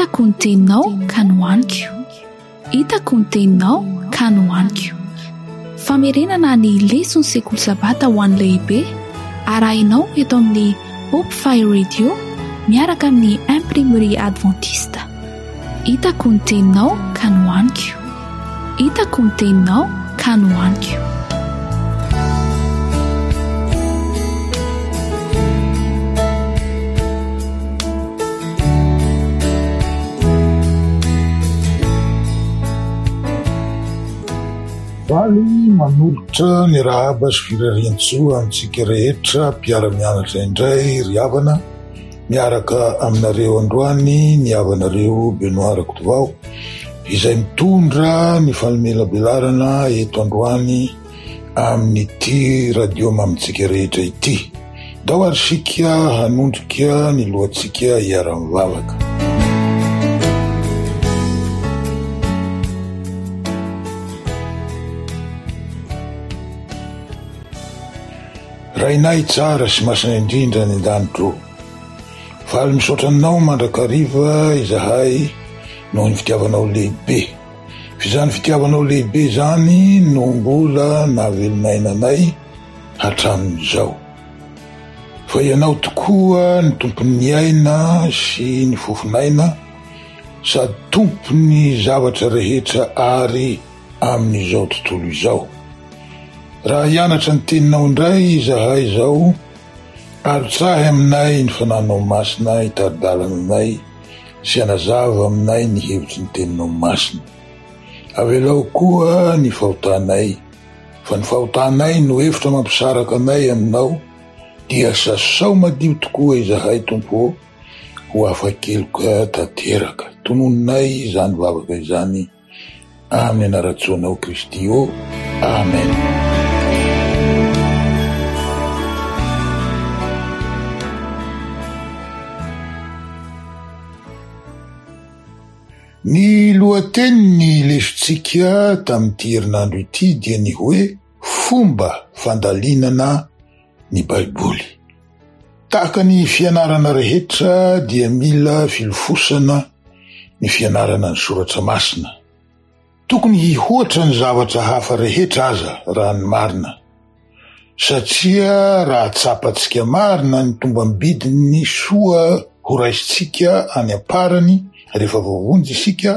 Hitako ny teninao ka nohaniko. Hitako ny teninao ka nohaniko. Famerenana ny leson'ny sekoly sabata ho an'ny lehibe arahinao eto amin'ny Hope Fire Radio miaraka amin'ny Imprimerie Adventiste. Hitako ny teninao ka nohaniko. Hitako ny teninao ka nohaniko. Faly manolotra ny rahaba sy firariantsoa amintsika rehetra mpiara-mianatra indray ry havana miaraka aminareo androany ny havanareo Benoit Rakotovao izay mitondra ny fanomelabelarana eto androany amin'ity radio mamintsika rehetra ity. Ndao ary isika hanondrika ny lohantsika hiara-mivavaka. Rainay tsara sy masina indrindra any an-danitra ô, faly misaotra Anao mandrakariva izahay noho ny fitiavanao lehibe. F'izany fitiavanao lehibe izany no mbola nahavelon'aina anay hatramin'izao. Fa Ianao tokoa ny Tompon'ny aina sy ny fofon'aina sady Tompon'ny zavatra rehetra ary amin'izao tontolo izao. Raha hianatra ny Teninao indray izahay izao, arotsahy aminay ny Fanahinao Masina hitari-dalana anay sy hanazava aminay ny hevitry ny Teninao Masina. Avelao koa ny fahotanay, fa ny fahotanay no efitra mampisaraka anay Aminao, dia sasao madio tokoa izahay, Tompo ô, ho afa-keloka tanteraka. Tononinay izany vavaka izany. Amin'ny anaran-tsoanao Kristy ô. Amen. Ny lohatenin'ny lesontsika tamin'ity herinandro ity dia ny hoe fomba fandalinana ny Baiboly. Tahaka ny fianarana rehetra dia mila filofosana ny fianarana ny soratra masina. Tokony hihoatra ny zavatra hafa rehetra aza raha ny marina. Satria raha tsapantsika marina ny tombam-bidin'ny soa horaisintsika any am-parany rehefa voavonjy isika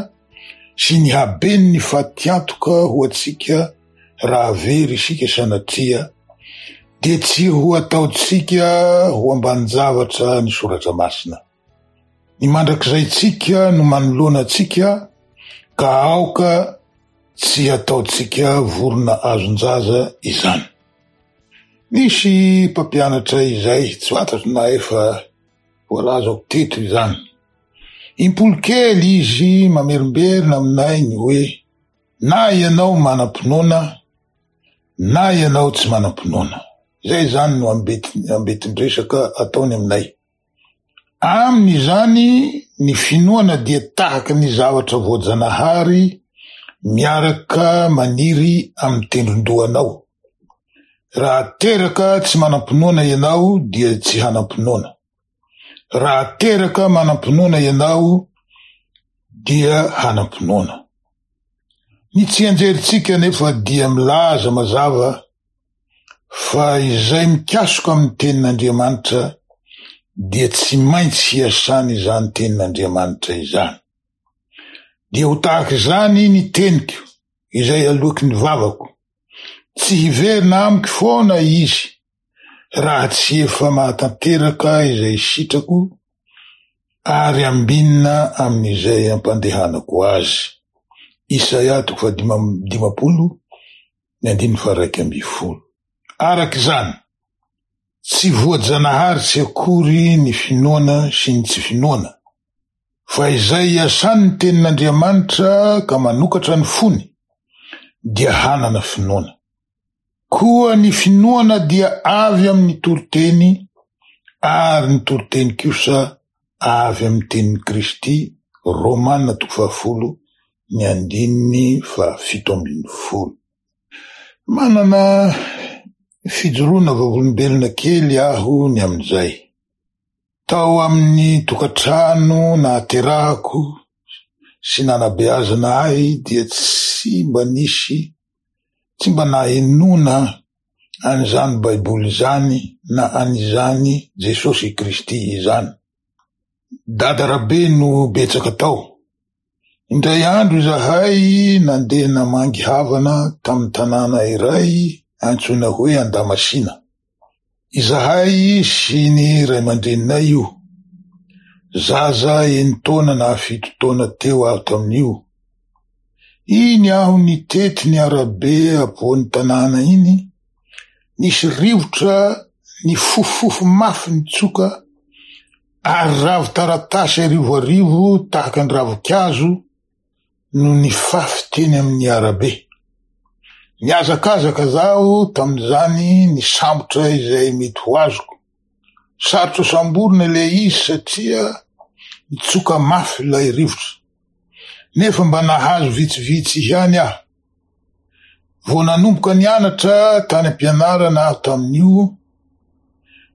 sy ny haben'ny fatiantoka ho antsika raha very isika sanatria dia tsy ho ataontsika ho ambanin-javatra ny soratra masina. Ny mandrakizaintsika no manoloana antsika ka aoka tsy hataontsika vorona azon-jaza izany. Nisy mpampianatra izay, tsy fantatro na efa voalazako teto izany. Impolo kely izy mamerimberina aminay ny hoe Na ianao manam-pinoana na ianao tsy manam-pinoana. Izay izany no ambetin-dresaka ataony aminay. Aminy izany ny finoana dia tahaka ny zavatra voajanahary miaraka maniry amin'ny tendron-dohanao. Raha teraka tsy manam-pinoana ianao dia tsy hanam-pinoana. Raha teraka manam-pinoana ianao dia hanam-pinoana. Ny tsianjerintsika anefa dia milaza mazava fa izay mikasoka amin'ny tenin'Andriamanitra dia tsy maintsy hiasany izany tenin'Andriamanitra izany. Dia ho tahaka izany ny teniko izay aloaky ny vavako. Tsy hiverina amiko foana izy raha tsy efa mahatanteraka izay sitrako ary ambinina amin'izay ampandehanako azy. Isaia toko fahadima-dimampolo ny andininy faha-iraika ambin'ny folo. Araka izany, tsy voajanahary tsy akory ny finoana sy ny tsy finoana, fa izay iasany ny tenin'Andriamanitra ka manokatra ny fony dia hanana finoana. Koa ny finoana dia avy amin'ny toriteny ary ny toriteny kosa avy amin'ny tenin'i Kristy, Romana toko fahafolo ny andininy fahafito ambin'ny folo. Manana fijoroana vavolombelona kely aho ny amin'izay. Tao amin'ny tokantrano nahaterahako sy nanabeazana ahy dia tsy mba nisy, tsy mba nahenoana an'izany Baiboly izany na an'izany Jesosy Kristy izany. Dada Rabe no betsaka tao. Indray andro izahay nandeha namangy havana tamin'ny tanàna iray antsoina hoe Andamasina. Izahay sy ny ray aman-dreninay io. Zaza enin-taona na 7 taona teo aho tamin'io. Iny aho nitety ny arabe ampovoan'ny tanàna iny, nisy rivotra nifofofofo mafy nitsoka ary ravin-taratasy arivoarivo tahaka ny ravinkazo no nifafy teny amin'ny arabe. Nihazakazaka zaho tamin'izany nisambotra izay mety ho azoko. Sarotra samborina ilay izy satria nitsoka mafy ilay rivotra. Nefa mba nahazo vitsivitsy ihany aho. Vao nanomboka nianatra tany am-pianarana aho tamin'io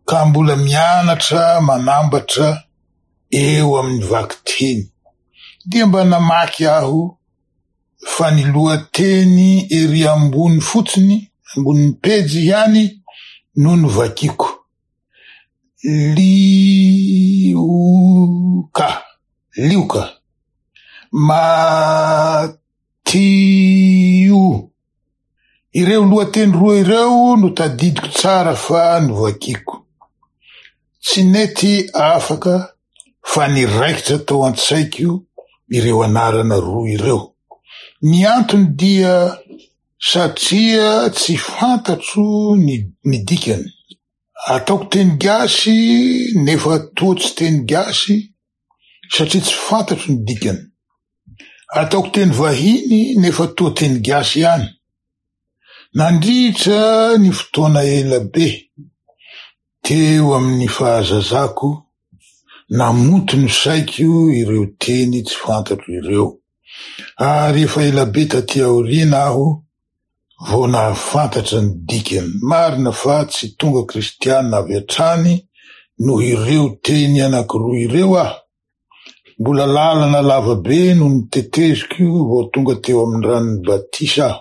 ka mbola mianatra manambatra eo amin'ny vakiteny. Dia mba namaky aho fa ny lohateny ery ambony fotsiny, ambonin'ny pejy ihany no novakiko. Lioka, Lioka, Matio. Ireo lohateny roa ireo no tadidiko tsara fa novakiko. Tsy nety afaka fa niraikitra tao an-tsaiko ireo anarana roa ireo. Ny antony dia satria tsy fantatro ny ny dikany. Ataoko teny gasy nefa toa tsy teny gasy satria tsy fantatro ny dikany. Ataoko teny vahiny nefa toa teny gasy ihany. Nandritra ny fotoana ela be teo amin'ny fahazazako, namonto ny saiko ireo teny tsy fantatro ireo. Ary efa ela be taty aoriana aho vao nahafantatra ny dikany. Marina fa tsy tonga kristiana avy hatrany noho ireo teny anankiroa ireo aho. Mbola lalana lava be no noteteziko vao tonga teo amin'ny ranon'ny batisa aho.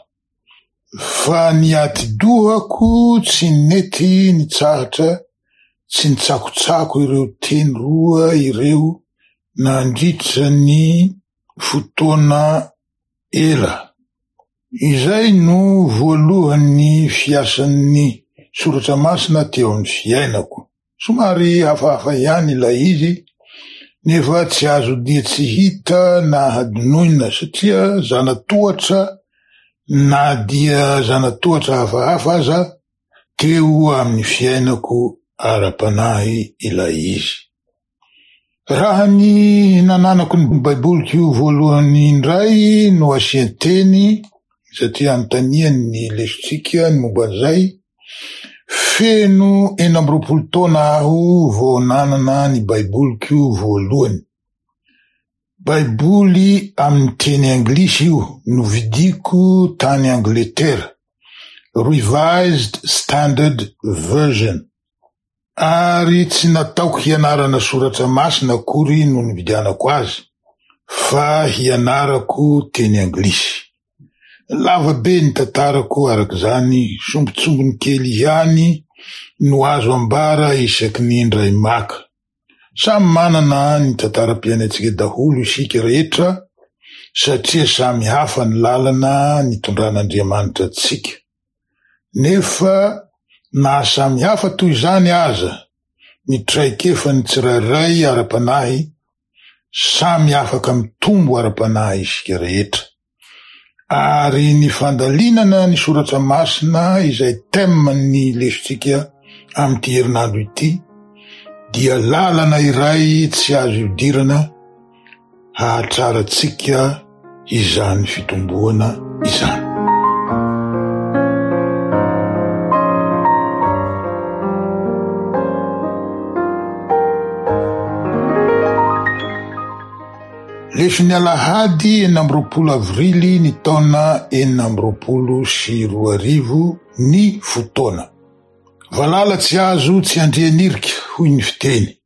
Fa ny atidohako tsy nety nitsahatra tsy nitsakotsako ireo teny roa ireo nandritra ny fotoana ela. Izay no voalohan'ny fiasan'ny soratra masina teo amin'ny fiainako. Somary hafahafa ihany ilay izy, nefa tsy azo dia tsy hita na hadinoina satria zana-tohatra na dia zana-tohatra hafahafa aza teo amin'ny fiainako ara-panahy ilay izy. Raha ny nananako ny Baiboliko voalohany indray no asian-teny, satria anontaniany ny lesontsika ny momba an'izay, feno 26 taona aho vao nanana ny Baiboliko voalohany. Baiboly amin'ny teny anglisy io, novidiako tany Angletera, Revised Standard Version. Ary tsy nataoko hianarana soratra masina akory no nividianako azy, fa hianarako teny anglisy. Lava be ny tantarako araka izany, sombintsombiny kely ihany no azo ambara isaky ny indray maka. Samy manana ny tantaram-piainantsika daholo isika rehetra satria samy hafa ny lalana nitondran'Andriamanitra antsika. Nefa na samy hafa toy izany aza ny traikefan'ny tsirairay ara-panahy, samy afaka mitombo ara-panahy isika rehetra. Ary ny fandalinana ny soratra masina izay thème-n'ny lesontsika amin'ity herinandro ity dia lalana iray tsy azo ihodirana hahatrarantsika izany fitomboana izany. Leson'ny alahady 26 avrily ny taona 2026 ny fotoana. Valala tsy azo tsy andrian'irika, hoy ny fiteny.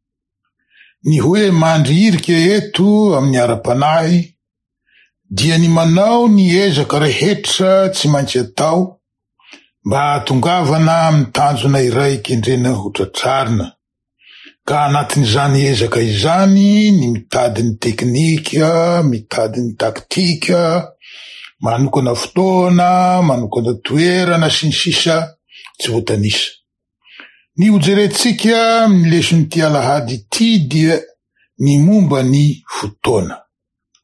Ny hoe mandry irika eto amin'ny ara-panahy dia ny manao ny ezaka rehetra tsy maintsy atao mba hahatongavana amin'ny tanjona iray kendrena ho tratrarina, ka anatin'izany ezaka izany ny mitady ny teknika, mitady ny taktika, manokana fotoana, manokana toerana, sy ny sisa tsy voatanisa. Ny hojerentsika amin'ny leson'ity alahady ity dia ny momba ny fotoana.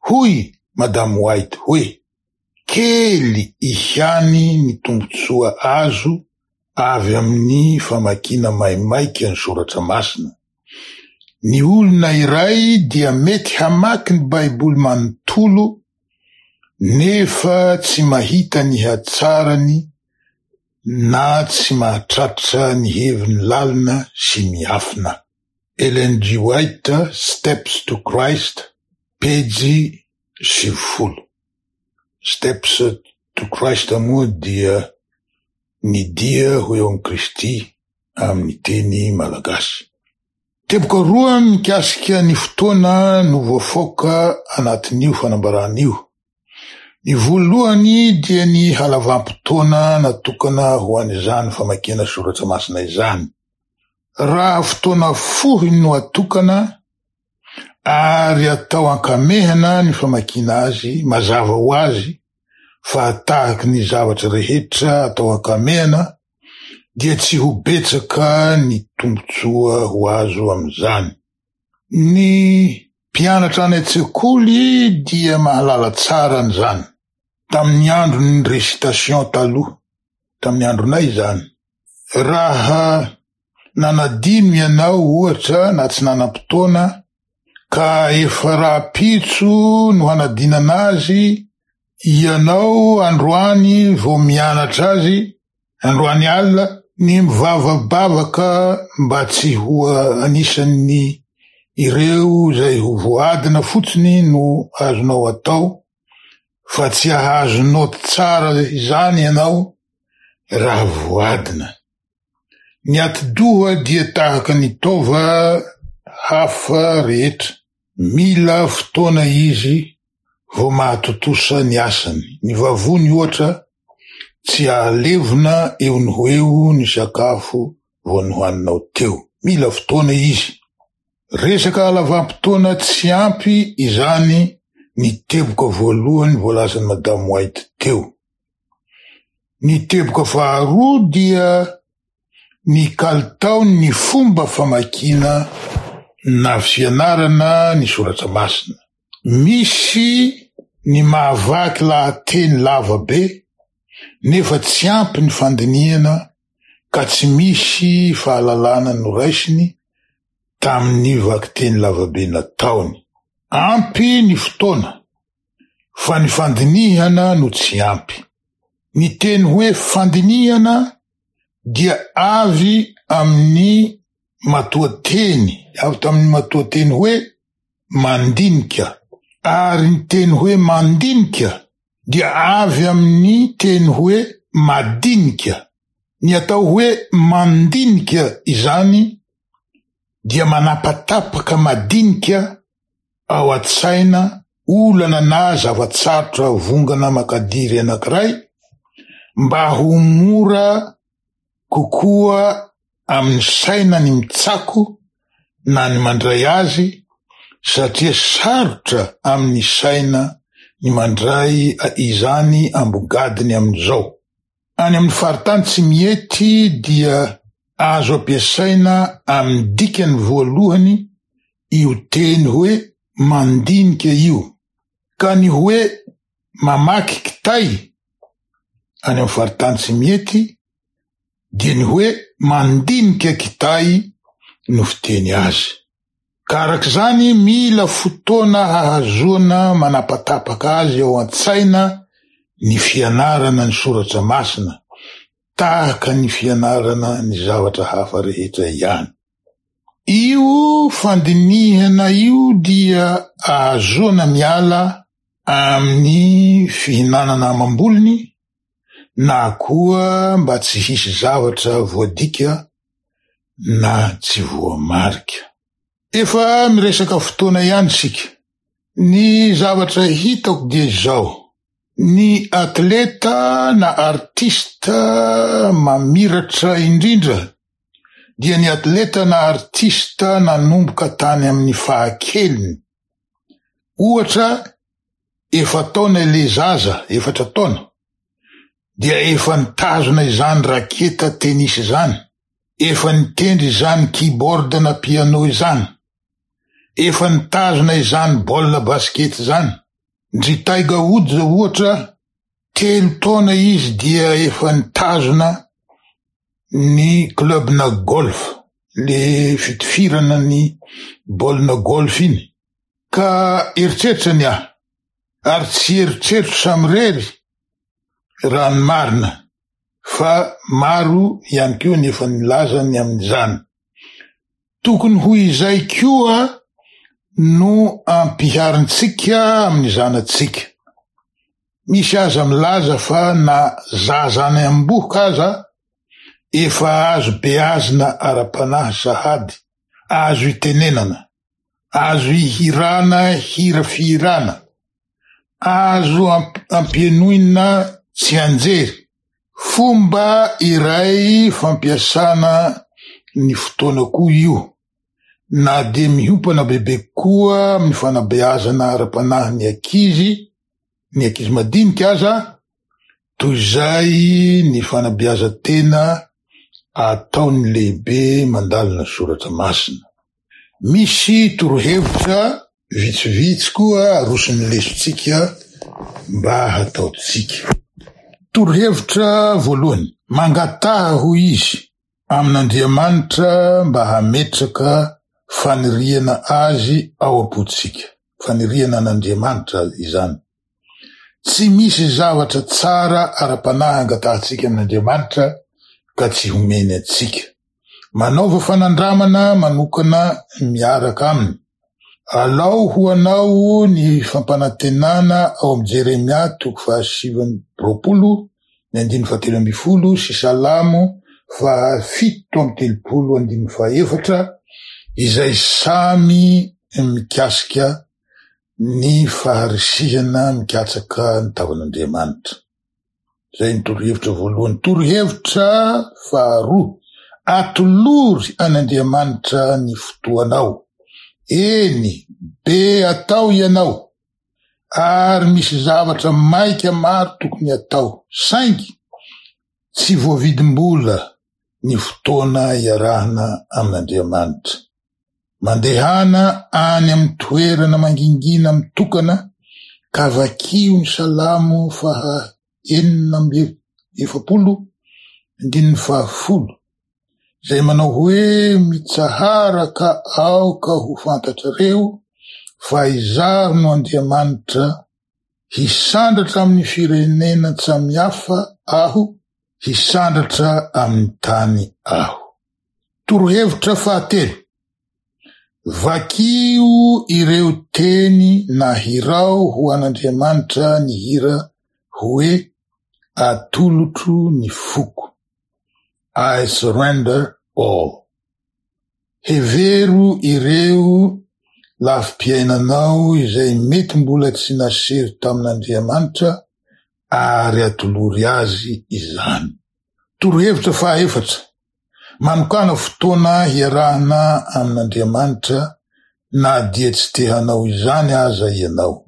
Hoy Madame White hoe, Kely ihany ny tombontsoa azo avy amin'ny famakiana maimaika ny Soratra Masina. Ny olona iray dia mety hamaky ny Baiboly manontolo nefa tsy mahita ny hatsarany na tsy mahatratra ny heviny lalina sy miafina. Ellen G. White, Steps to Christ, pejy 90. Steps to Christ moa dia ny dia ho eo amin'i Kristy amin'ny teny malagasy. Teboka roa mikasika ny fotoana no voafaoka anatin'io fanambarana io. Ny voalohany dia ny halavam-potoana natokana ho an'izany famakiana soratra masina izany. Raha fotoana fohy no atokana ary atao ankamehana ny famakiana azy, mazava ho azy fa tahaky ny zavatra rehetra atao ankamehana dia tsy ho betsaka ny tombontsoa ho azo amin'izany. Ny mpianatra any an-tsekoly dia mahalala tsara an'izany. Tamin'ny andron'ny récitation taloha, tamin'ny andronay izany, raha nanadino ianao ohatra na tsy nanam-potoana ka efa rahampitso no hanadinana azy, ianao androany vao mianatra azy, Androany alina, ny mivavabavaka mba tsy ho anisan'ny ireo izay ho voadina fotsiny no azonao atao fa tsy hahazo naoty tsara izany ianao raha voadina. Ny atidoha dia tahaka ny taova hafa rehetra, mila fotoana izy vao mahatontosa ny asany. Ny vavony, ohatra, tsy ahalevona eo no ho eo ny sakafo vao nohaninao teo. Mila fotoana izy. Resaka halavam-potoana tsy ampy izany ny teboka voalohany voalazan'i Madame White teo. Ny teboka faharoa dia ny kalitaon'ny fomba famakiana na fianarana ny soratra masina. Misy ny mahavaky lahateny lava be nefa tsy ampy ny fandinihana ka tsy misy fahalalana noraisiny tamin'ny vakiteny lavabe nataony. Ampy ny fotoana fa ny fandinihana no tsy ampy. Ny teny hoe fandinihana dia avy amin'ny matoanteny, avy tamin'ny matoanteny hoe mandinika, ary ny teny hoe mandinika dia avy amin'ny teny hoe madinika. Ny atao hoe mandinika izany dia manapatapaka madinika ao an-tsaina olana na zava-tsarotra vongana makadiry anankiray mba ho mora kokoa amin'ny saina ny mitsako na ny mandray azy satria sarotra amin'ny saina ny mandray izany ambogadiny amin'izao. Any amin'ny faritany tsy mihety dia azo ampiasaina amin'ny dikany voalohany io teny hoe mandinika io, ka ny hoe mamaky kitay any amin'ny faritany tsy mihety dia ny hoe mandinika kitay no fiteny azy. Ka araka izany mila fotoana hahazoana manapatapaka azy ao an-tsaina ny fianarana ny soratra masina, tahaka ny fianarana ny zavatra hafa rehetra ihany. Io fandinihana io dia ahazoana miala amin'ny fihinanana amam-bolony na koa mba tsy hisy zavatra voadika na tsy voamarika. Efa miresaka fotoana ihany isika. Ny zavatra hitako dia izao, ny atleta na artista mamiratra indrindra dia ny atleta na artista nanomboka tany amin'ny fahakeliny. Ohatra, efa-taona ilay zaza, efatra taona, dia efa nitazona izany raketa tennis izany, efa nitendry izany keyboard na piano izany, efa nitazona izany baolina basket izany. Ndry Tiger Woods ohatra, telo taona izy dia efa nitazona ny club-na golf, le fitifirana ny baolina golf iny. Ka eritreritra ny ahy, ary tsy eritreritro samirery raha ny marina, fa maro ihany koa ny efa nilaza ny amin'izany. Tokony ho izay koa no ampiharintsika amin'ny zanatsika. Misy aza milaza fa na zaza any am-bohoka aza efa azo beazina ara-panahy sahady, azo itenenana. Azo ihirana hira fihirana, azo ampienoina tsianjery, fomba iray fampiasana ny fotoana koa io, na dia miompana bebe kokoa amin'ny fanabeazana ara-panahy ny ankizy, ny ankizy madinika aza, toy izay ny fanabeazan-tena ataon'ny lehibe mandalina soratra masina. Misy torohevitra vitsivitsy koa aroson'ny lesontsika mba hataontsika. Torohevitra voalohany, Mangataha, hoy izy, amin'Andriamanitra mba hametraka faniriana azy ao am-pontsika. Faniriana an'Andriamanitra izany. Tsy misy zavatra tsara ara-panahy angatahantsika amin'Andriamanitra ka tsy homeny antsika. Manaova fanandramana manokana miaraka aminy. Alao ho anao ny fampanantenana ao amin'ny Jeremia toko faha-29 ny andininy fahatelo ambin'ny folo sy Salamo faha-37 andininy fahaefatra izay samy mikasika ny faharisihana mikatsaka ny tavan'Andriamanitra. Izay ny torohevitra voalohany. Torohevitra faharoa, atolory an'Andriamanitra ny fotoanao. Eny, be atao ianao, ary misy zavatra maika maro tokony atao, saingy tsy voavidim-bola ny fotoana iarahana amin'Andriamanitra. Mandehana any amin'ny toerana mangingina mitokana ka vakio ny Salamo faha 46 andininy faha-10, izay manao hoe, Mitsahara ka aoka ho fantatrareo fa Izaho no Andriamanitra, hisandratra amin'ny firenena tsamihafa Aho, hisandratra amin'ny tany Aho. Torohevitra fahatelo, Vakio ireo teny na hirao ho an'Andriamanitra ny hira hoe Atolotro ny foko, I surrender all. Hevero ireo lafim-piainanao izay mety mbola tsy naseho tamin'Andriamanitra ary atolory Azy izany. Torohevitra fahaefatra, Manokàna fotoana hiarahana amin'Andriamanitra na dia tsy te hanao izany aza ianao.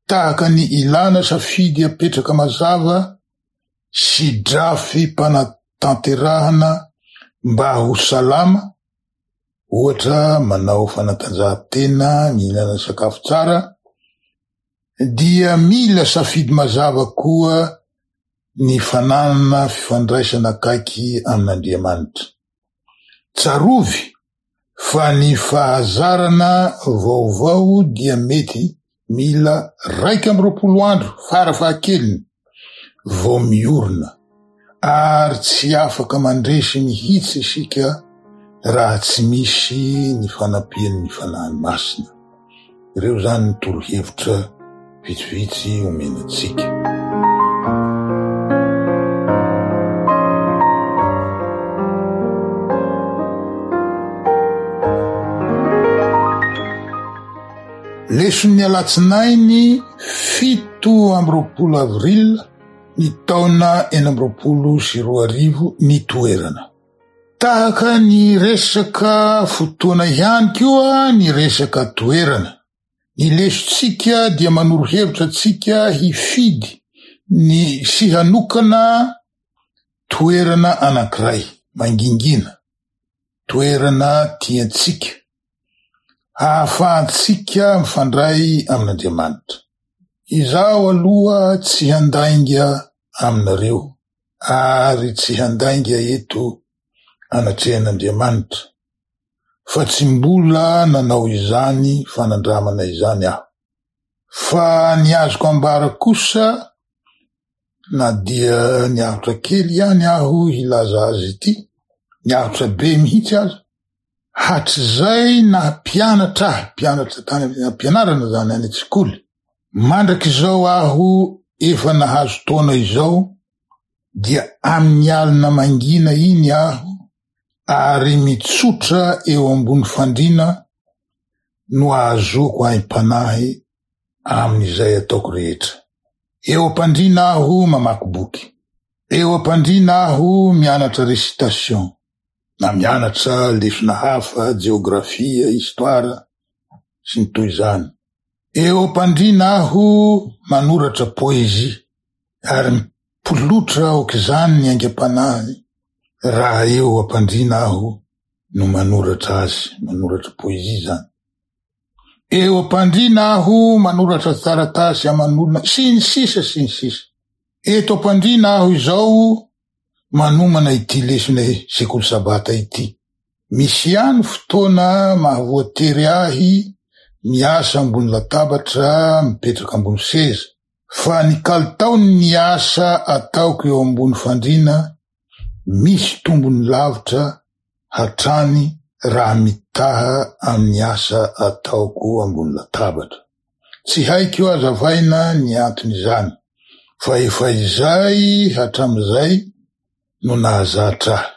Tahaka ny ilàna safidy apetraka mazava sy drafi-panatanterahana mba ho salama, ohatra manao fanatanjahantena, mihinana sakafo tsara, dia mila safidy mazava koa ny fananana fifandraisana akaiky amin'Andriamanitra. Tsarovy fa ny fahazarana vaovao dia mety mila 21 andro farafahakeliny vao miorina, ary tsy afaka mandresy mihitsy isika raha tsy misy ny fanampian'ny Fanahy Masina. Ireo izany ny torohevitra vitsivitsy omena antsika. Leson'ny alatsinainy 27 avril ny taona 2026 ny toerana. Tahaka ny resaka fotoana ihany koa ny resaka toerana. Ny lesontsika dia manoro hevitra antsika hifidy ny sy hanokana toerana anankiray mangingina, toerana tiantsika, hahafahantsika mifandray amin'Andriamanitra. Izaho aloha tsy handainga aminareo ary tsy handainga eto anatrehan'Andriamanitra. fa tsy mbola nanao izany fanandramana izany aho. Fa ny azoko ambara kosa, na dia niarotra kely ihany aho hilaza azy ity, niarotra be mihitsy aza, hatrizay naha mpianatra ahy, mpianatra tany am-pianarana izany, any an-tsekoly, mandrak'izao aho efa nahazo taona izao, dia amin'ny alina mangina iny aho ary mitsotra eo ambony fandriana no ahazoako aim-panahy amin'izay ataoko rehetra. Eo am-pandriana aho mamaky boky. Eo am-pandriana aho mianatra récitation na mianatra lesona hafa, jeografia, histoire, sy ny toy izany. Eo am-pandriana aho manoratra poésie ary Mipolotra aok'izany ny aingam-panahy raha eo am-pandriana aho no manoratra azy, manoratra poésie izany. Eo am-pandriana aho manoratra taratasy aman'olona, sy ny sisa sy ny sisa. Eto am-pandriana aho izao manomana ity lesona sekoly sabata ity. Misy ihany fotoana mahavoatery ahy miasa ambony latabatra, mipetraka ambony seza. Fa ny kalitaon'ny asa ataoko eo ambony fandriana misy tombony lavitra hatrany raha mitaha amin'ny asa ataoko ambony latabatra. Tsy haiko hazavaina ny anton'izany fa efa izay hatramin'izay no nahazatra ahy.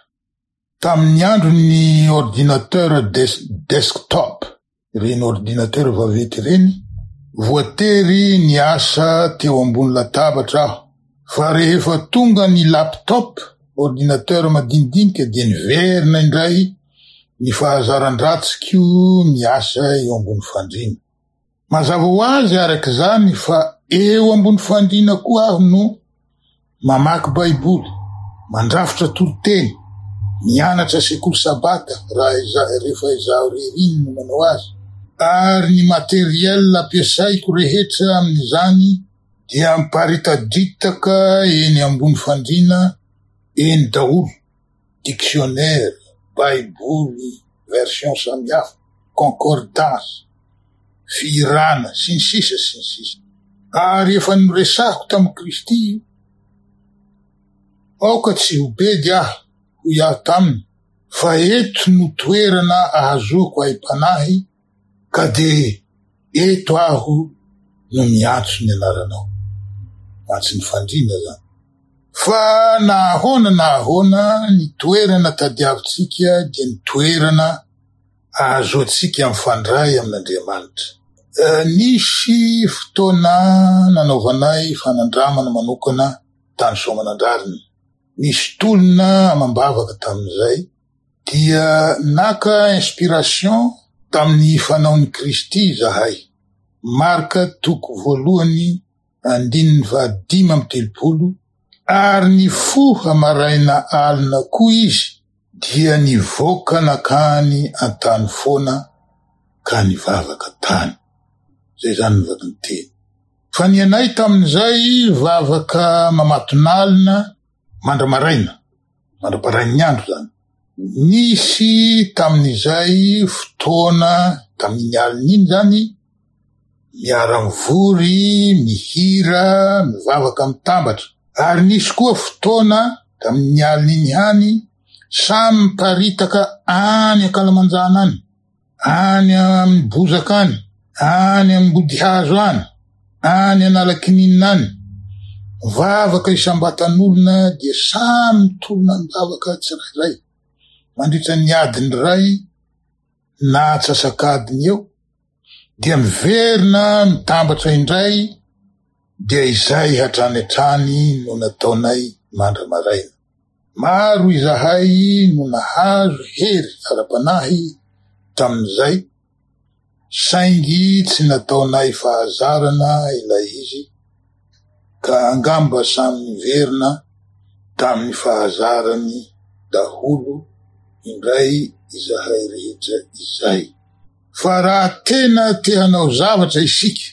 Tamin'ny andron'ny ordinateur desktop ireny ordinateur vaventy ireny, voatery niasa teo ambony latabatra aho, fa rehefa tonga ny laptop, ordinateur madinidinika, dia niverina indray ny fahazaran-dratsiko miasa eo ambony fandriana. Mazava ho azy araka izany fa eo ambony fandriana koa aho no mamaky Baiboly, mandrafitra toriteny, mianatra sekoly sabata raha izaho rehefa izaho irery iny no manao azy, ary ny matériel ampiasaiko rehetra amin'izany dia miparitadritaka eny ambony fandriana eny daholo, dictionnaire, baiboly version samihafa, concordance, fihirana, sy ny sisa sy ny sisa. Ary efa noresahiko tamin'i Kristy io. Aoka tsy ho bedy aho, hoy aho taminy, fa eto no toerana ahazoako aim-panahy, ka dia eto aho no miantso ny anaranao. Mantsy ny fandriana izany. Fa na ahoana na ahoana, ny toerana tadiavintsika dia ny toerana ahazoantsika mifandray amin'Andriamanitra. Nisy fotoana nanaovanay fanandramana manokana tany Soamanandrariny. Nisy tolona amam-bavaka tamin'izay, dia naka inspiration tamin'ny fanaon'i Kristy izahay. Marka toko voalohany andininy faha-35, Ary nifoha maraina alina koa izy, dia nivoaka nankany an-tany foana ka nivavaka tany. Izay izany ny vakinteny. Fa ny anay tamin'izay vavaka mamatonalina mandra-maraina, mandra-parain'ny andro izany. Nisy tamin'izay fotoana, tamin'iny alina iny izany, miara-mivory, mihira, mivavaka mitambatra. Ary nisy koa fotoana, tamin'ny alina iny ihany, samy miparitaka any ankalamanjana any, any amin'ny bozaka any, any ambodihazo any, any Analakininina any. Mivavaka isam-batan'olona dia samy mitolona am-bavaka tsirairay mandritra ny adiny iray na antsasak'adiny eo. Dia miverina mitambatra indray dia izay hatrany hatrany no nataonay mandra-maraina. Maro izahay no nahazo hery ara-panahy tamin'izay, saingy tsy nataonay fahazarana ilay izy, ka angamba samy niverina tamin'ny fahazarany daholo indray izahay rehetra izay. Fa raha tena te hanao zavatra isika,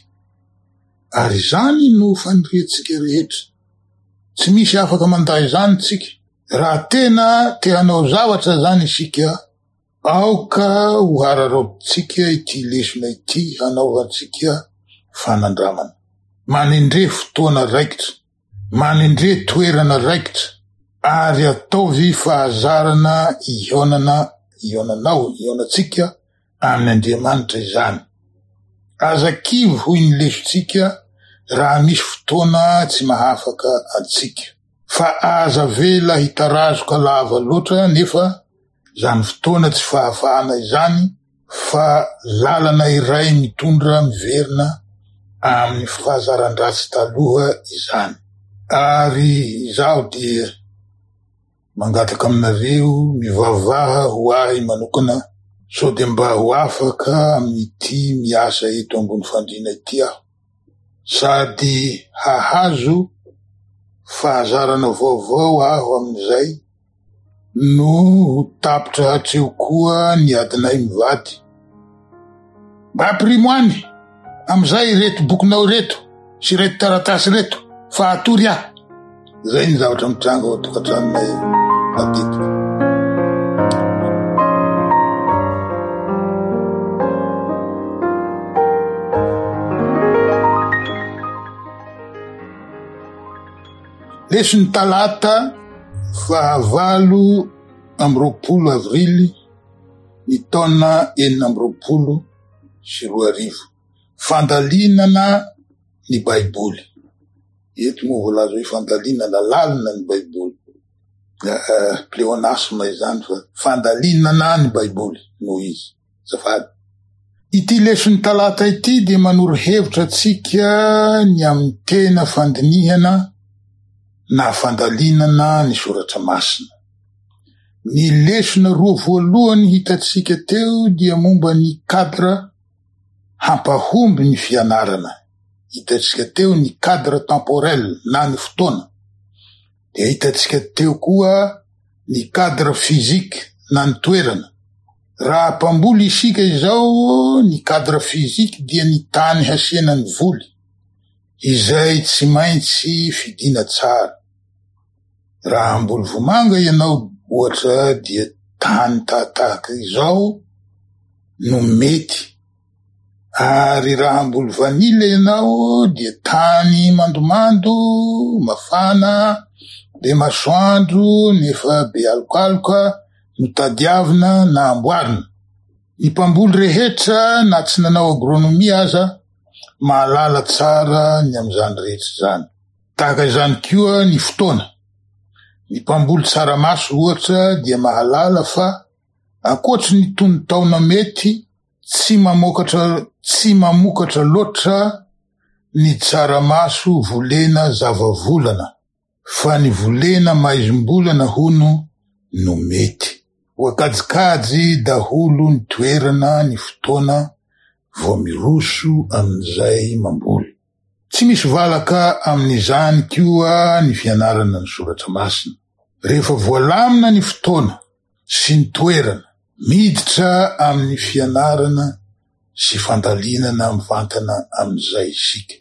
ary izany no faniriantsika rehetra, tsy misy afaka mandà izany tsika, raha tena te hanao zavatra izany isika, aoka ho hararaotintsika ity lesona ity hanaovantsika fanandramana. Manendre fotoana raikitra. Manendre toerana raikitra ary ataovy fahazarana hihaonana, hihaonanao, hihaonantsika amin' Andriamanitra izany. Aza kivy hoy ny lesontsika raha misy fotoana tsy mahafaka antsika. Fa aza avela hitarazoka lava loatra nefa izany fotoana tsy fahafahana izany fa lalana iray mitondra miverina amin'ny fahazaran-dratsy taloha izany. Ary izaho dia mangataka aminareo mivavaha ho ahy manokana sao dia mba ho afaka amin'ity miasa eto ambony fandriana ity aho, sady hahazo fahazarana vaovao aho amin'izay no ho tapitra hatreo koa ny adinay mivady. Mba ampirimo any amin'izay ireto bokinao ireto sy ireto taratasy ireto fa hatory aho. Izay ny zavatra mitranga ao an-tokantranonay matetika. Leson'ny talata fahavalo amby roapolo avrily ny taona 2026. Fandalinana ny Baiboly. Eto moa voalaza hoe fandalinana lalina ny Baiboly. Pléonasme izany fa fandalinana ny Baiboly no izy. Azafady. Ity leson'ny talata ity dia manoro hevitra antsika ny amin'ny tena fandinihana na fandalinana ny soratra masina. Ny lesona roa voalohany hitantsika teo dia momba ny cadre hampahomby ny fianarana. Hitantsika teo ny cadre temporel na ny fotoana. Dia hitantsika teo koa ny cadre physique na ny toerana. Raha mpamboly isika izao, ny cadre physique dia ny tany hasiana ny voly, izay tsy maintsy fidiana tsara. Raha hamboly vomanga ianao ohatra dia tany tahatahaka izao no mety, ary raha hamboly vanille ianao dia tany mandomando, mafana, be masoandro nefa be alokaloka no tadiavina na amboarina. Ny mpamboly rehetra na tsy nanao agronomie aza mahalala tsara ny amin'izany rehetra izany. Tahaka izany koa ny fotoana. Ny mpamboly tsaramaso ohatra dia mahalala fa ankoatry ny tonon-taona mety tsy mamokatra tsy mamokatra loatra ny tsaramaso volena zavavolana. Fa ny volena maizim-bolana hono no mety. Voakajikajy daholo ny toerana ny fotoana vao miroso amin'izay mamboly. Tsy misy valaka amin'izany koa ny fianarana ny soratra masina. Rehefa voalamina ny fotoana sy ny toerana, miditra amin'ny fianarana sy fandalinana mivantana amin'izay isika.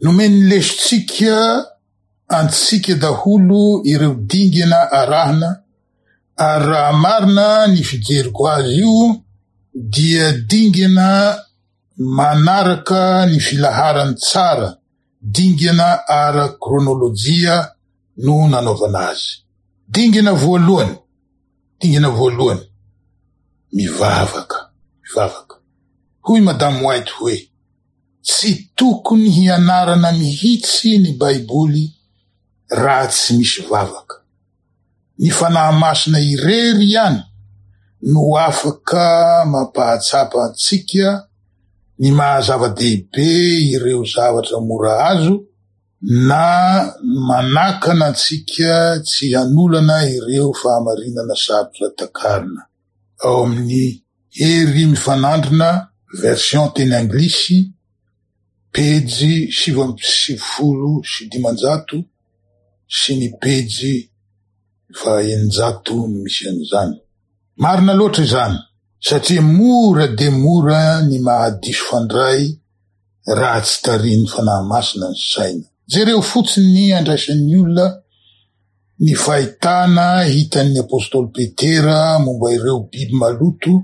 Nomen'ny lesontsika antsika daholo ireo dingana arahina ary raha marina ny fijeriko azy io dia dingana manaraka ny filaharany tsara, dingana ara-kronolojia no nanaovana azy. Dingana voalohany, dingana voalohany, mivavaka, mivavaka. Hoy Madame White hoe, Tsy tokony hianarana mihitsy ny Baiboly raha tsy misy vavaka. Ny Fanahy Masina irery ihany no afaka mampahatsapa antsika. ny maha zava-dehibe ireo zavatra mora azo na manakana antsika tsy hanolana ireo fahamarinana sarotra takarina. Ao amin'ny Hery Mifanandrina, version teny anglisy, pejy 599 sy ny pejy faha 600 no misy an'izany. Marina loatra izany, satria mora dia mora ny mahadiso fandray raha tsy tarihin'ny Fanahy Masina ny saina. Jereo fotsiny ny andraisan'ny olona ny fahitana hitan'ny apostoly Petera momba ireo biby maloto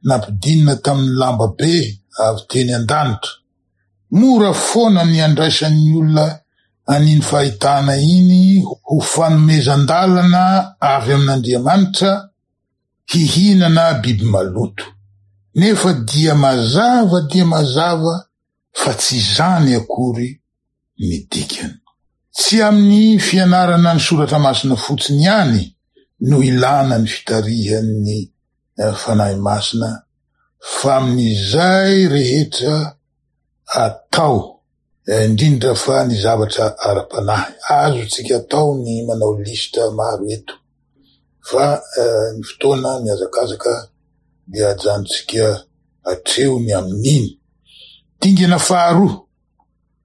nampidinina tamin'ny lamba be avy teny an-danitra. Mora foana ny andraisan'ny olona an'iny fahitana iny ho fanomezan-dalana avy amin'Andriamanitra hihinana biby maloto. Nefa dia mazava dia mazava fa tsy izany akory ny dikany. Tsy amin'ny fianarana ny soratra masina fotsiny ihany no ilana ny fitarihan'ny Fanahy Masina fa amin'izay rehetra atao, indrindra fa ny zavatra ara-panahy. Azontsika atao ny manao lisitra maro eto fa ny fotoana mihazakazaka dia ajanontsika hatreo ny amin'iny. Dingana faharoa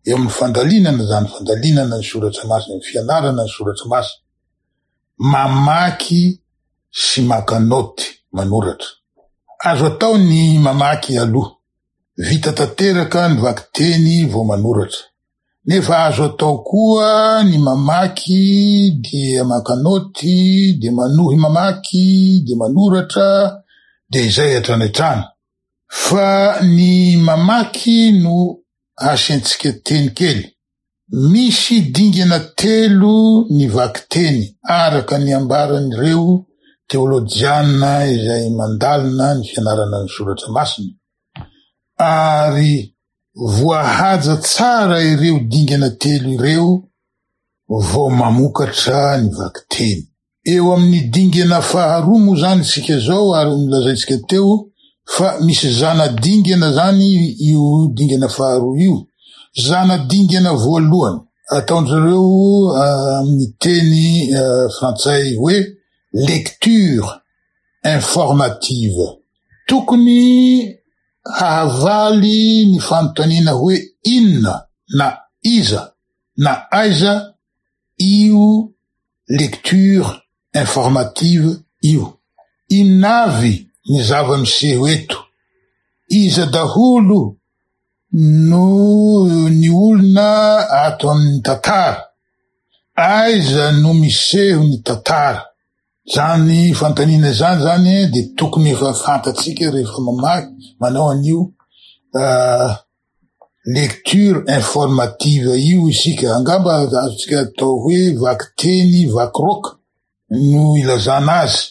eo amin'ny fandalinana izany, fandalinana ny soratra masina, ny fianarana ny soratra masina, mamaky sy maka naoty, manoratra. Azo atao ny mamaky aloha, vita tanteraka ny vakiteny vao manoratra. Nefa azo atao koa ny mamaky dia maka naoty, dia manohy mamaky, dia manoratra, dia izay hatrany hatrany. Fa ny mamaky no asiantsika teny kely. Misy dingana telo ny vakiteny araka ny ambaran'ireo teolojiana izay mandalina ny fianarana ny soratra masina, ary voahaja tsara ireo dingana telo ireo vao mamokatra ny vakiteny. Eo amin'ny dingana faharoa moa izany isika izao ary nolazaintsika teo fa misy zana-dingana izany io dingana faharoa io. Zana-dingana voalohany ataon-dry zareo amin'ny teny frantsay hoe lecture informative. Tokony hahavaly ny fanontaniana hoe inona na iza na aiza io lecture informative io. Inona avy ny zava-miseho eto? Iza daholo no ny olona ato amin'ny tantara? Aiza no miseho ny tantara? Izany fanontaniana izany zany dia tokony efa fantatsika rehefa mamaky, manao an'io lecture informative io isika, angamba azontsika atao hoe vakiteny vakiroaka no ilazana azy.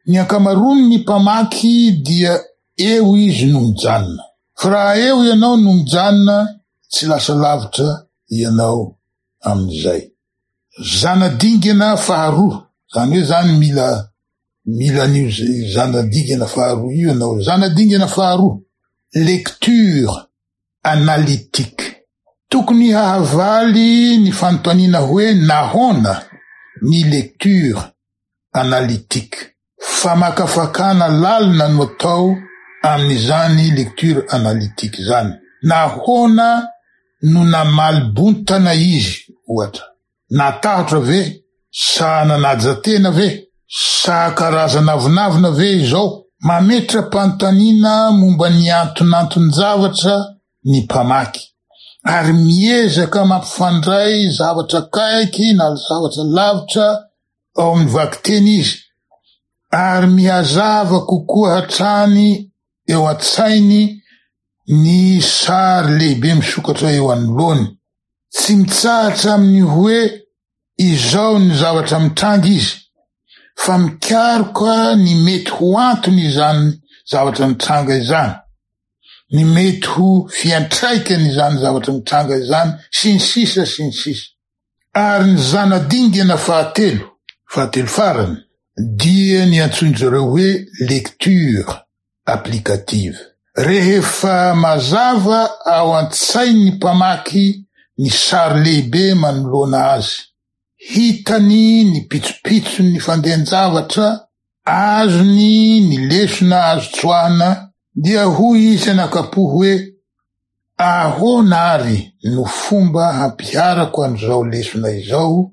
Ny ankamaroan'ny mpamaky dia eo izy no mijanona. Fa raha eo ianao no mijanona, tsy lasa lavitra ianao amin'izay. Zana-dingana faharoa, izany hoe izany mila mila an'io zana-dingana faharoa io ianao. Zana-dingana faharoa, lecture analytique. Tokony hahavaly ny fanontaniana hoe nahoana ny lecture analytique. Famakafakana lalina no atao amin'izany lecture analytique izany. Nahoana no namaly bontana izy, ohatra? Natahotra ve? Sa nanaja tena ve? Sa karazana avonavona ve izao? Mametra-panontaniana momba ny antonanton-javatra ny mpamaky, ary miezaka mampifandray zavatra akaiky na zavatra lavitra ao amin'ny vakiteny izy, ary mihazava kokoa hatrany eo an-tsainy ny sary lehibe misokatra eo anoloany. Tsy mitsahatra amin'ny hoe izao ny zavatra mitranga izy, fa mikaroka ny mety ho antony izany zavatra mitranga izany, ny mety ho fiantraikany izany zavatra mitranga izany, sy ny sisa sy ny sisa. Ary ny zana-dingana fahatelo, fahatelo farany, dia ny antsoin-dry zareo hoe lecture applicative. Rehefa mazava ao an-tsain'ny mpamaky ny sary lehibe manoloana azy, hitany ny pitsopitson'ny fandehan-javatra, azony ny lesona azo tsoahina, dia hoy izy anakapo hoe, Ahoana àry no fomba hampiharako an'izao lesona izao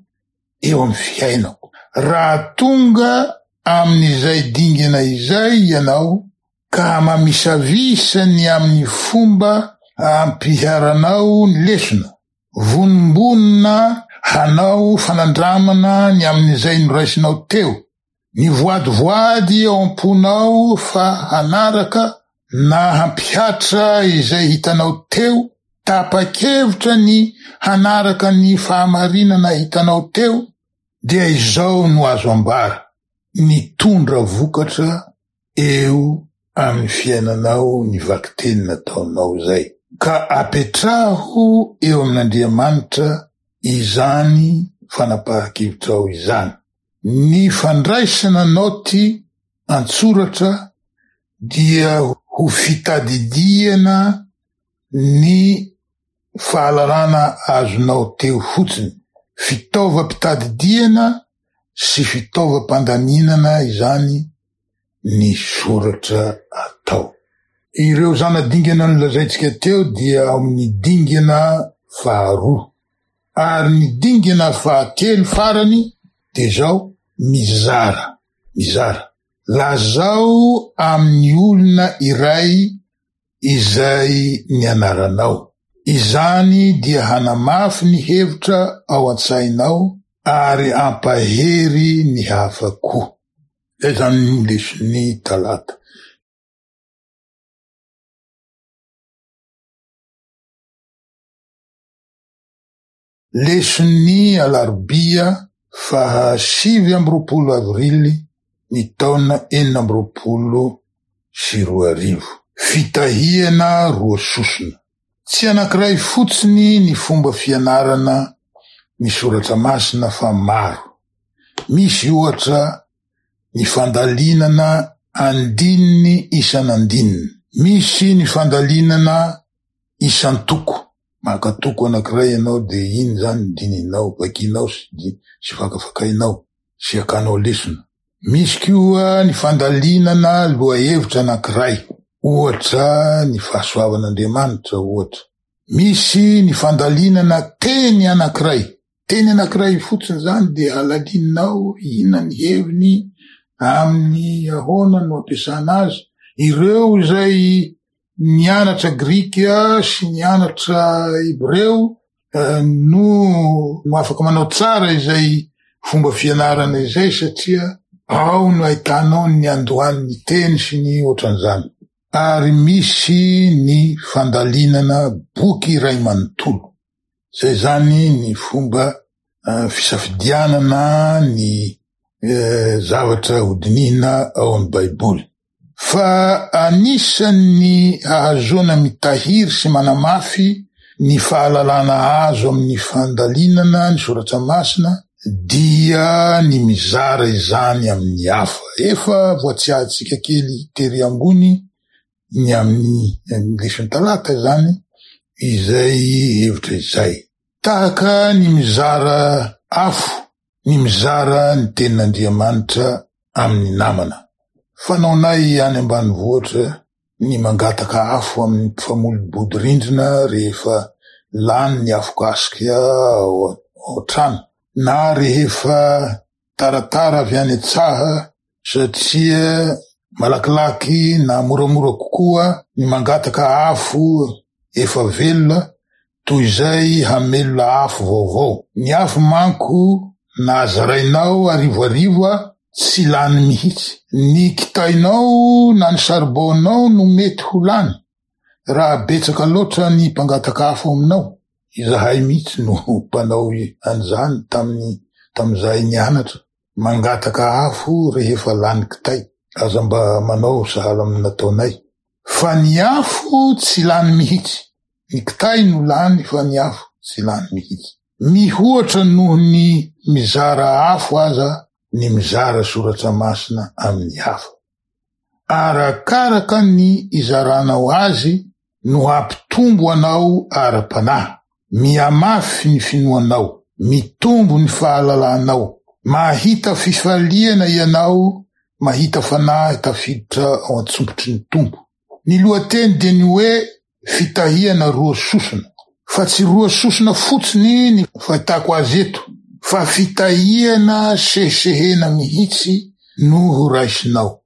eo amin'ny fiainako? Raha tonga amin'izay dingana izay ianao ka mamisavisa ny amin'ny fomba ampiharanao ny lesona, vonombonona hanao fanandramana ny amin'izay noraisinao teo, Mivoadivoady ao am-ponao fa hanaraka na hampihatra izay hitanao teo, tapa-kevitra ny hanaraka ny fahamarinana hitanao teo, dia izao no azo ambara, nitondra vokatra eo amin'ny fiainanao ny vakiteny nataonao izay. Ka apetraho eo amin'Andriamanitra izany fanapahan-kevitrao izany. Ny fandraisana naoty an-tsoratra dia ho fitadidiana ny fahalalana azonao teo fotsiny. Fitaovam-pitadidiana sy fitaovam-pandaminana izany ny soratra atao. Ireo zana-dingana nolazaintsika teo dia ao amin'ny dingana faharoa. Ary ny dingana fahatelo farany dia izao, mizara, mizara. Lazao amin'ny olona iray izay nianaranao. Izany dia hanamafy ny hevitra ao an-tsainao ary hampahery ny hafa koa. Izay izany ny leson'ny talata. Leson'ny alarobia faha 29 avrily ny taona 2026. Fitahiana roa sosona. Tsy anankiray fotsiny ny fomba fianarana ny soratra masina fa maro. Misy ohatra ny fandalinana andininy isan'andininy. Misy ny fandalinana isan-toko. Maka toko anankiray ianao dia iny izany no dinihinao, vakianao sy sy fakafakainao sy akanao lesona. Misy koa ny fandalinana lohahevitra anankiray, ohatra ny fahasoavan'Andriamanitra ohatra. Misy ny fandalinana teny anankiray. Teny anankiray fotsiny izany dia halalininao inona ny heviny, amin'ny ahoana no ampiasana azy. Ireo izay nianatra grika sy nianatra hebreo no afaka manao tsara izay fomba fianarana izay satria ao no ahitanao ny niandohan'ny teny sy ny ohatran'izany. Ary misy ny fandalinana boky iray manontolo. Izay izany ny fomba fisafidianana ny zavatra hodinihina ao amin'ny Baiboly. Fa anisan'ny ahazoana mitahiry sy manamafy ny fahalalana azo amin'ny fandalinana ny soratra masina dia ny mizara izany amin'ny hafa. Efa voatsiahintsika kely tery ambony ny amin'ny leson'ny talata izany izay hevitra izay. Tahaka ny mizara afo ny mizara ny tenin'Andriamanitra amin'ny namana. Fanaonay any ambanivohitra ny mangataka afo amin'ny mpifamoly-bodirindrina rehefa lany ny afokasika ao an-trano, na rehefa taratara avy any an-tsaha satria malakilaky na moramora kokoa ny mangataka afo efa velona toy izay hamelona afo vaovao. Ny afo manko na zarainao arivoarivo tsy lany mihitsy. Ny kitainao na ny saribao-nao no mety ho lany raha betsaka loatra ny mpangataka afo aminao. Izahay mihitsy no mpanao an'izany tamin'ny tamin'izahay nianatra. Mangataka afo rehefa lany kitay. Aza mba manao sahala amin'ny nataonay. Fa ny afo tsy lany mihitsy. Ny kitay no lany fa ny afo tsy lany mihitsy. Mihoatra noho ny mizara afo aza ny mizara soratra masina amin'ny hafa. Arakaraka ny izaranao azy no hampitombo anao ara-panahy. Mihamafy ny finoanao, mitombo ny fahalalanao, mahita fifaliana ianao mahita fanahy tafiditra ao an-tsompitry ny Tompo. Ny lohateny dia ny hoe fitahiana roa sosona. Fa tsy roa sosona fotsiny ny fahitako azy eto, fa fitahiana sehesehena mihitsy no ho raisinao.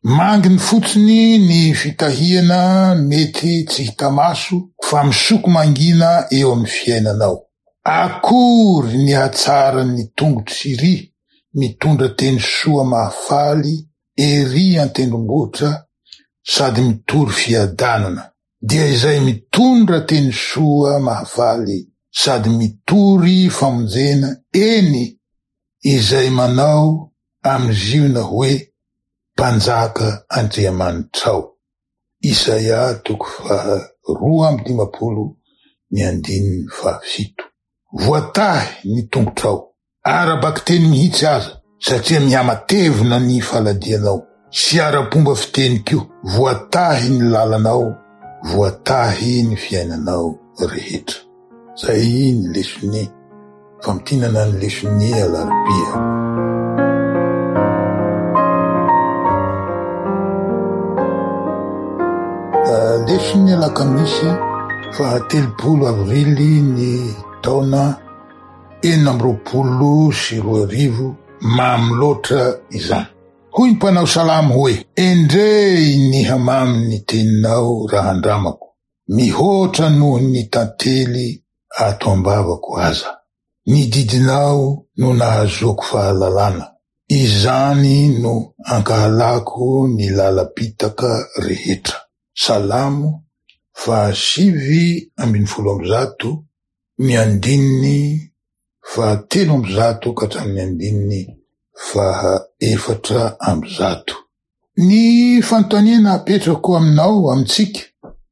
Manginy fotsiny ny fitahiana mety tsy hita maso fa misoko mangina eo amin'ny fiainanao. Akory ny hatsaran'ny tongotry Syria mitondra teny soa mahafaly ery an-tendrombohitra sady mitory fiadanana, dia izay mitondra teny soa mahafaly sady mitory famonjena, eny, izay manao amin'i Ziona hoe, Mpanjaka Andriamanitrao. Isaia toko faha 52 ny andininy faha-7. Voatahy ny tongotrao, ara-bakiteny mihitsy aza, satria mihamatevina ny faladianao, sy ara-pomba fiteny koa, voatahy ny lalanao, voatahy ny fiainanao rehetra. Zay ny leson'ny famintinana ny leson'ny alarobia. Leson'ny alakamisy faha 30 avrily ny taona 2026, mamy loatra izany. Hoy ny mpanao salamo hoe, Endrey ny hamamy ny teninao raha andramako. Mihoatra noho ny tantely ato am-bavako aza. Ny didinao no nahazoako fahalalana. Izany no ankahalako ny lalam-pitaka rehetra. Salamo faha 119 ny andininy faha 103 ka hatramin'ny andininy faha 104. Ny fanontaniana apetrako aminao, amintsika,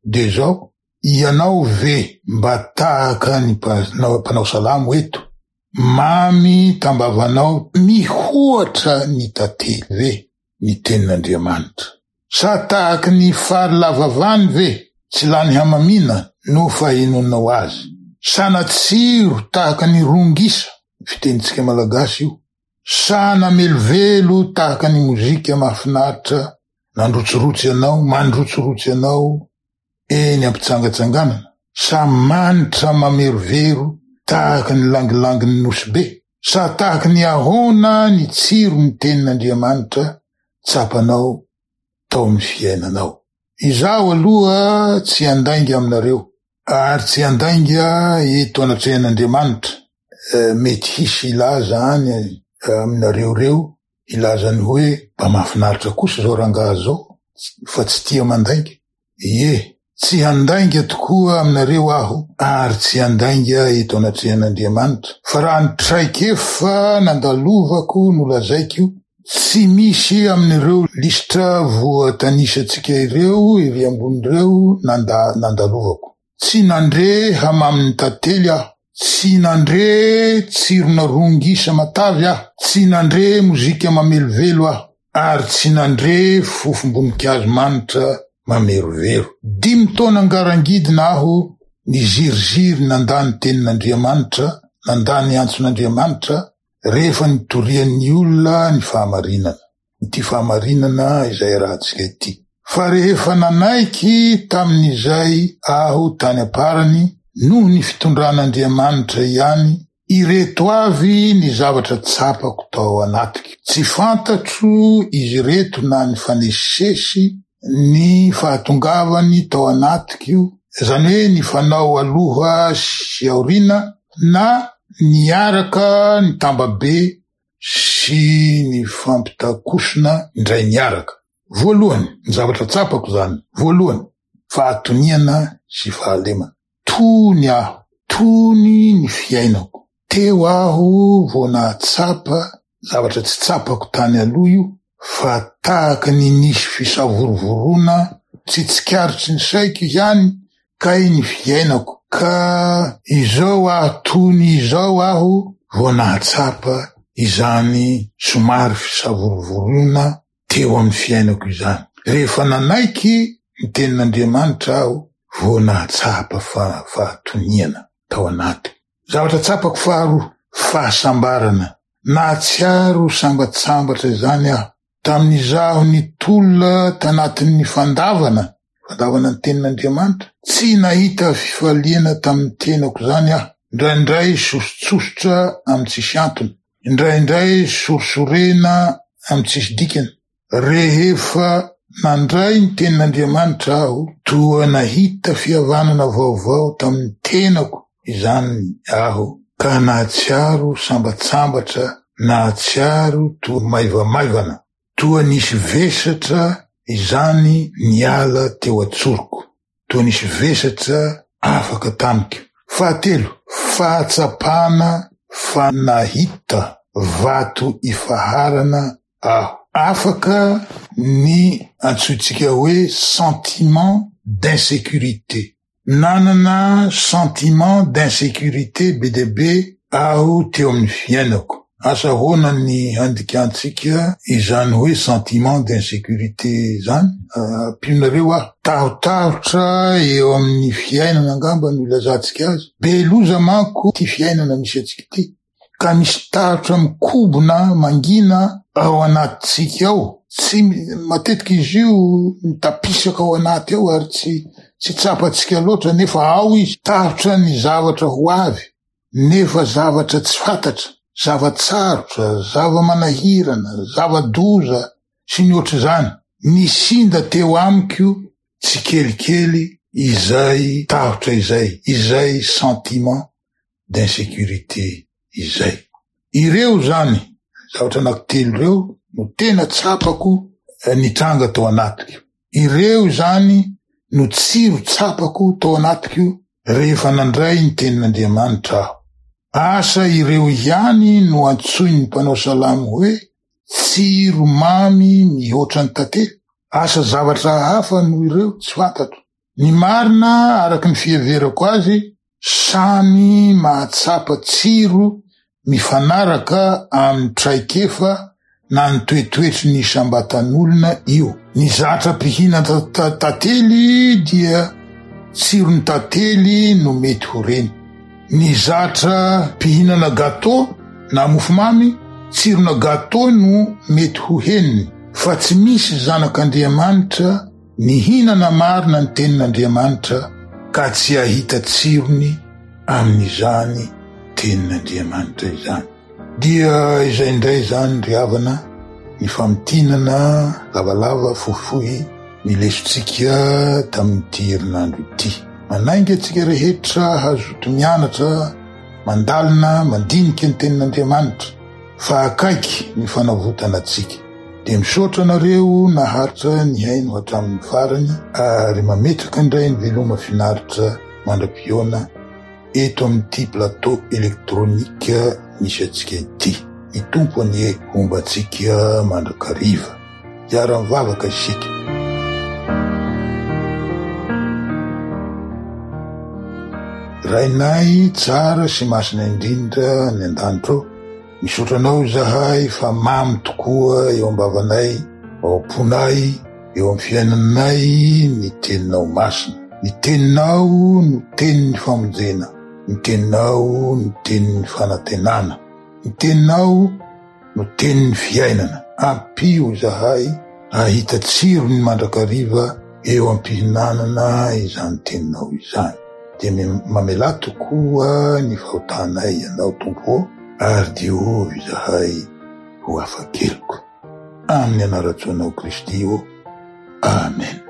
dia izao, ianao ve mba tahaka ny mpanao salamo eto, mamy tambavanao mihoatra ny tantely ve ny tenin'Andriamanitra? Sa tahaky ny fary lava vany ve, tsy lany hamamiana no fahenonao azy? Sa natsiro tahaka ny rongisa, fitenintsika malagasy io, Sa namelovelo tahaka ny mozika mahafinaritra nandrotsirotsy anao, mandrotsirotsy anao eny am-pitsangatsanganana? Sa manitra mamerovero tahaka ny langilangin'ny Nosy Be? Sa tahaka ny ahoana ny tsiron'ny Tenin'Andriamanitra tsapanao tao amin'ny fiainanao? Izaho aloha tsy handainga aminareo, Ary tsy handainga eto anatrehan'Andriamanitra, mety hisy hilaza any aminareo ireo, hilaza ny hoe, mba mahafinaritra kosa izao rangahy izao fa tsy tia mandainga. Ie, tsy handainga tokoa aminareo aho, ary tsy handainga eto anatrehan'Andriamanitra, fa raha ny traikefa nandalovako no lazaiko, tsy misy amin'ireo lisitra voatanisantsika ireo ery ambony ireo nanda-nandalovako. Tsy nandre hamamin'ny tantely aho, tsy nandre tsirona rongisa matavy aho, tsy nandre mozika mamelovelo aho, ary tsy nandre fofom-boninkazo manitra mamerovero. Dimy taona ngarangidina aho niziriziry nandà ny tenin'Andriamanitra, nandà ny antson'Andriamanitra, Rehefa nitorian'ny olona ny fahamarinana, ity fahamarinana izay arahantsika ity. Fa rehefa nanaiky tamin'izay aho tany am-parany, noho ny fitondran'Andriamanitra ihany, ireto avy ny zavatra tsapako tao anatiko. Tsy fantatro izy ireto na nifanesisesy ny fahatongavany tao anatiko, izany hoe nifanao aloha sy aoriana, na niaraka nitambabe sy nifampitakosona indray niaraka. Voalohany, ny zavatra tsapako izany, voalohany, fahatoniana sy fahalemana. Tony aho, tony ny fiainako. Teo aho vao nahatsapa zavatra tsy tsapako tany aloha io fa tahaka ny nisy fisavorovoroana tsy tsikaritry ny saiko ihany kay ny fiainako ka izao aho tony izao aho vao nahatsapa izany somary fisavorovoroana teo amin'ny fiainako izany. Rehefa nanaiky ny tenin'Andriamanitra aho vao nahatsapa fahatoniana tao anatiko. Zavatra tsapako faharoa, fahasambarana. Nahatsiaro sambatsambatra izany aho tamin'izaho nitolona tanatin'ny fandavana, fandavana ny tenin'Andriamanitra. Tsy nahita fifaliana tamin'ny tenako izany aho. Indraindray sosotsosotra amin'ny tsisy antony. Indraindray sorisorena amin'ny tsisy dikany. Rehefa nandray ny tenin'Andriamanitra aho, toa nahita fihavanana vaovao tamin'ny tenako izany aho ka nahatsiaro sambatsambatra, nahatsiaro toa maivamaivana, toa nisy vesatra izany niala teo an-tsoroko. Toa nisy vesatra afaka tamiko. Fahatelo, fahatsapana fa nahita vato ifaharana aho. Afaka ny antsointsika hoe sentiment d'insécurité. Nanana sentiment d'insécurité be dia be aho teo amin'ny fiainako. Asa ahoana ny handikantsika izany hoe sentiment d'insécurité izany? Ampionareo aho. Tahotahotra eo amin'ny fiainana angamba no ilazantsika azy. Be loza manko ity fiainana misy antsika ity, ka misy tahotra mikobona mangina ao anatintsika ao. Tsy, matetika izy io mitapisaka ao anaty ao ary tsy tsy tsapantsika loatra nefa ao izy. Tahotra ny zavatra ho avy. Nefa zavatra tsy fantatra, zava-tsarotra, zava-manahirana, zava-doza sy ny ohatr'izany, nisinda teo amiko tsikelikely izay tahotra izay, izay sentiment d'insécurité izay. Ireo izany zavatra anankitelo ireo no tena tsapako nitranga tao anatiko. Ireo izany no tsiro tsapako tao anatiko rehefa nandray ny tenin'Andriamanitra aho. Asa ireo ihany no antsoin'ny mpanao salamo hoe tsiro mamy mihoatra ny tantely? Asa zavatra hafa noho ireo? Tsy fantatro. Ny marina araka ny fiheverako azy, samy mahatsapa tsiro mifanaraka amin'ny traikefa na ny toetoetry ny isam-batan'olona io. Ny zatra mpihinana tantely dia tsiron'ny tantely no mety ho reny. Ny zatra mpihinana gâteau na mofomamy, tsirona gâteau no mety ho henony. Fa tsy misy zanak'Andriamanitra Nihinana marina ny Tenin'Andriamanitra ka tsy hahita tsirony amin'izany Tenin'Andriamanitra izany. Dia izay indray izany ry havana ny famintinana lavalava fohifohy ny lesontsika tamin'ity herinandro ity. Manainga antsika rehetra hazoto mianatra, mandalina, mandinika ny Tenin'Andriamanitra fa akaiky ny fanavotana antsika. Dia misaotra anareo naharitra nihaino hatramin'ny farany ary mametraka indray ny veloma finaritra mandra-pihaona eto amin'ity plateau électronique misy antsika ity. Ny Tompo anie homba antsika mandrakariva. Hiara-mivavaka isika. Rainay tsara sy masina indrindra any an-danitra ô, Misaotra Anao izahay fa mamy tokoa eo am-bavanay, ao am-ponay, eo amin'ny fiainanay ny Teninao masina. Ny Teninao no tenin'ny famonjena, ny Teninao no tenin'ny fanantenana, ny Teninao no tenin'ny fiainana. Ampio izahay hahita tsirony mandrakariva eo am-pihinanana izany Teninao izany. Dia mamelà tokoa ny fahotanay Ianao, Tompo ô, ary diovy izahay ho afa-keloka. Amin'ny anaran-tsoanao Kristy ô. Amen.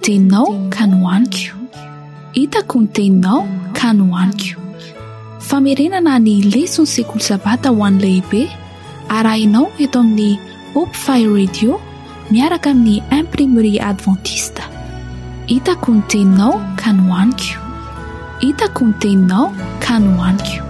teninao ka nohaniko. Hitako ny teninao ka nohaniko. Famerenana ny leson'ny sekoly sabata ho an'ny lehibe arahinao eto amin'ny Hope Fire Radio miaraka amin'ny Imprimerie Adventiste. Hitako ny teninao ka nohaniko. Hitako ny teninao ka nohaniko.